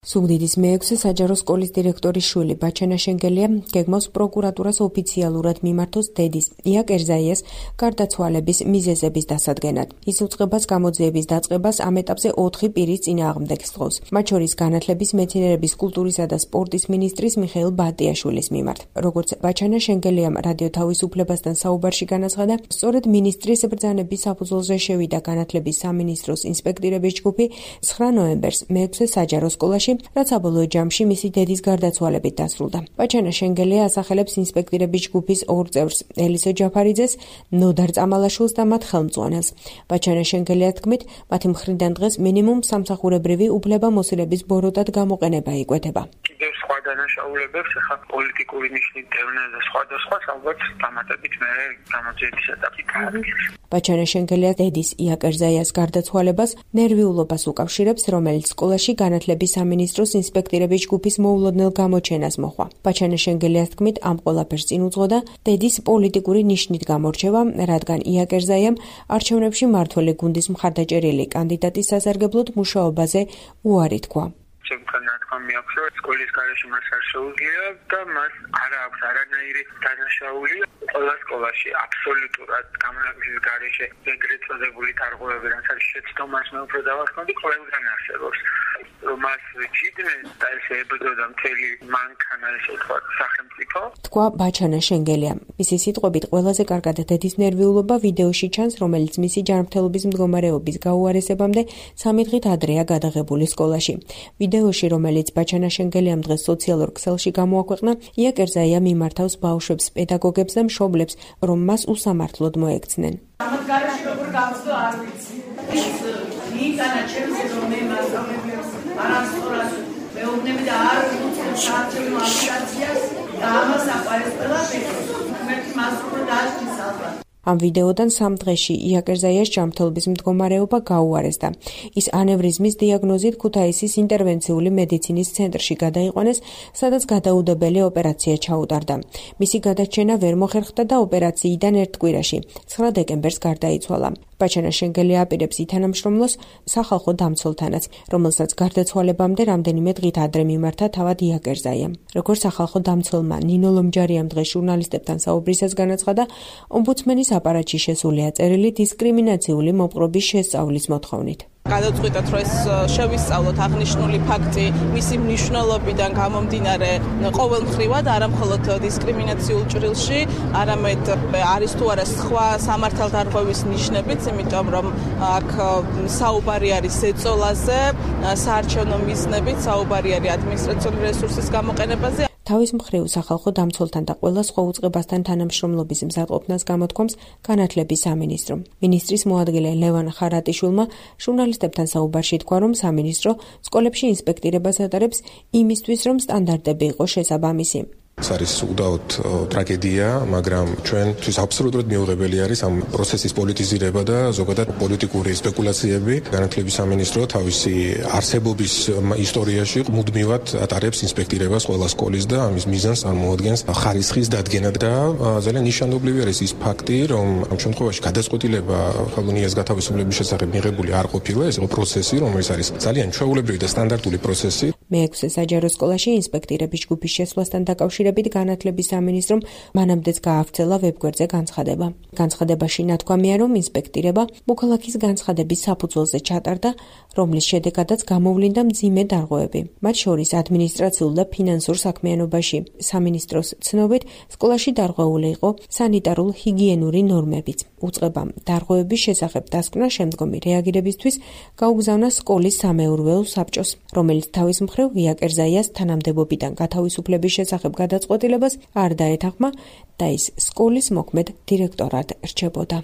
სუგდიდის მე-6 საჯარო სკოლის დირექტორის შვილი ბაჩანა შენგელია გეგმავს პროკურატურას ოფიციალურად მიმართოს დედის ია კერზაიას გარდაცვალების მიზეზების დასადგენად. ის უწყებას გამოძიების დაწყებას ამ ეტაპზე 4 პირის წინააღმდეგ სთხოვს, მათ შორის განათლების, მეცნიერების, კულტურისა და სპორტის მინისტრის მიხეილ ბატიაშვილის მიმართ. როგორც ბაჩანა შენგელიამ რადიო თავისუფლებასთან საუბარში განაცხადა, სწორედ მინისტრის ბრძანების საფუძველზე შევიდა განათლების სამინისტროს ინსპექტორების ჯგუფი 9 ნოემბერს მე-6 საჯარო სკოლაში, რაც საბოლოო ჯამში მისი დედის გარდაცვალებით დასრულდა. ბაჩანა შენგელია ასახელებს ინსპექტორების ჯგუფის 2 წევრს, ელისო ჯაფარიძეს, ნოდარ წამალაშვილს და მათ ხელმძღვანელს. ბაჩანა შენგელიას თქმით, მათი მხრიდან დღეს მინიმუმ სამსახურებრივი უფლებამოსილების ბოროტად გამოყენება იკვეთება. კიდევ სხვა დანაშაულებებს, ახლა პოლიტიკური ნიშნით დევნა და სხვა ალბათ დამატებით მე გამოძიების ეტაპი გააგრძელებს. ბაჩანა შენგელია დედის ია კერზაიას გარდაცვალებას ნერვიულობას უკავშირებს, რომელიც სკოლაში განათლების სამინისტროს ინსპექტორების ჯგუფის მოულოდნელ გამოჩენას მოჰყვა. ბაჩანა შენგელიას თქმით, ამ ყველაფერს წინ უძღოდა დედის პოლიტიკური ნიშნით გამორჩევა, რადგან ია კერზაიამ არჩევნებში მმართველი გუნდის მხარდაჭერილი კანდიდატის სასარგებლოდ მუშაობაზე უარი თქვა. სკოლის გარეშე მას არ შეუძლია და მას არ აქვს არანაირი დანაშაული. ყველა სკოლაში აბსოლუტურად გამონაკლისის გარეშე ეგრეთ წოდებული დარღვევები, რაც არის შეცდომას მე უფრო დავახმოდი, ყველგან არსებობს. რომ მას ვიჭიდნენ და ესე ებრძოდა მთელი მანქანა, ესე ვთქვათ, სახელმწიფო. თქვა ბაჩანა შენგელია. მისი სიტყვებით, ყველაზე კარგად დედის ნერვიულობა ვიდეოში ჩანს, რომელიც მისი ჯანმრთელობის მდგომარეობის გაუარესებამდე 3 დღით ადრეა გადაღებული სკოლაში. ვიდეოში, რომელიც ბაჩანა შენგელიამ დღეს სოციალურ ქსელში გამოაქვეყნა, ია კერზაია მიმართავს ბავშვებს, პედაგოგებს და მშობლებს, რომ მას უსამართლოდ მოექცნენ. ამათ გარეშე როგორ გავხსნა არ ვიცი. ის იტანა ჩემზე რომ მე მასწავლებლებს არასწორად მეუბნები და არ უწევ საარჩევნო აპლიკაციას და ამას აყარეს ყველაფერს. მე მას უფრო დაასწრის ალბათ. ამ ვიდეოდან 3 დღეში ია კერზაიას ჯანმრთელობის მდგომარეობა გაუარესდა. ის ანევრიზმის დიაგნოზით ქუთაისის ინტერვენციული მედიცინის ცენტრში გადაიყვანეს, სადაც გადაუდებელი ოპერაცია ჩაუტარდა. მისი გადარჩენა ვერ მოხერხდა და ოპერაციიდან 1 კვირაში, 9 დეკემბერს გარდაიცვალა. ბაჩანა შენგელია აპირებს ითანამშრომლოს სახალხო დამცველთანაც, რომელსაც გარდაცვალებამდე რამდენიმე დღით ადრე მიმართა თავად ია კერზაიამ. როგორც სახალხო დამცველმა ნინო ლომჯარიამ დღეს ჟურნალისტებთან საუბრისას განაცხადა, ომბუდსმენის აპარატში შესულია წერილი დისკრიმინაციული მოპყრობის შესწავლის მოთხოვნით. გადავწყვიტეთ, რომ ეს შევისწავლოთ აღნიშნული ფაქტი მისი მნიშვნელობიდან გამომდინარე ყოველმხრივად, არა მხოლოდ დისკრიმინაციულ ჭრილში, არამედ არის თუ არა სხვა სამართალდარღვევის ნიშნებიც, იმიტომ რომ აქ საუბარი არის ეწოლაზე, საარჩევნო მიზნებით, საუბარი არის ადმინისტრაციული რესურსის გამოყენებაზე. თავის მხრივ სახალხო დამცველთან და ყველა სხვა უწყებასთან თანამშრომლობის მზადყოფნას გამოთქვამს განათლების სამინისტრო. მინისტრის მოადგილე ლევან ხარატიშვილმა ჟურნალისტებთან საუბარში თქვა, რომ სამინისტრო სკოლებში ინსპექტირებას ატარებს იმისთვის, რომ სტანდარტები იყოს შესაბამისი. ეს არის უდაოდ ტრაგედია, მაგრამ ჩვენთვის აბსოლუტურად მიუღებელი არის ამ პროცესის პოლიტიზირება და ზოგადად პოლიტიკური სპეკულაციები. განათლების სამინისტრო თავისი არსებობის ისტორიაში მუდმივად ატარებს ინსპექტირებას ყველა სკოლის და ამის მიზანს წარმოადგენს ხარისხის დადგენა და ძალიან ნიშანდობლივი არის ის ფაქტი, რომ ამ შემთხვევაში გადაწყვეტილება ხელოვნიას გათავისუფლების შესახებ მიღებული არ ყოფილა, ეს იყო პროცესი, რომელიც არის ძალიან ჩვეულებრივი და სტანდარტული პროცესი. მე-6 საჯარო სკოლაში ინსპექტორების ჯგუფის შესვლასთან დაკავშირებით განათლების სამინისტრომ მანამდეც გაავრცელა ვებგვერდზე განცხადება. განცხადებაში ნათქვამია, რომ ინსპექტირება მოქალაქის განცხადების საფუძველზე ჩატარდა, რომლის შედეგადაც გამოვლინდა მძიმე დარღვევები, მათ შორის ადმინისტრაციულ და ფინანსურ საქმიანობაში. სამინისტროს ცნობით, სკოლაში დარღვეული იყო სანიტარულ-ჰიგიენური ნორმებიც. უწყებამ დარღვევების შესახებ დასკვნა შემდგომი რეაგირებისთვის გაუგზავნა სკოლის სამეურვეო საბჭოს, რომელიც თავის მხრივ ია კერზაიას თანამდებობიდან გათავისუფლების შესახებ გადაწყვეტილებას არ დაეთანხმა და ის სკოლის მოქმედ დირექტორად რჩებოდა.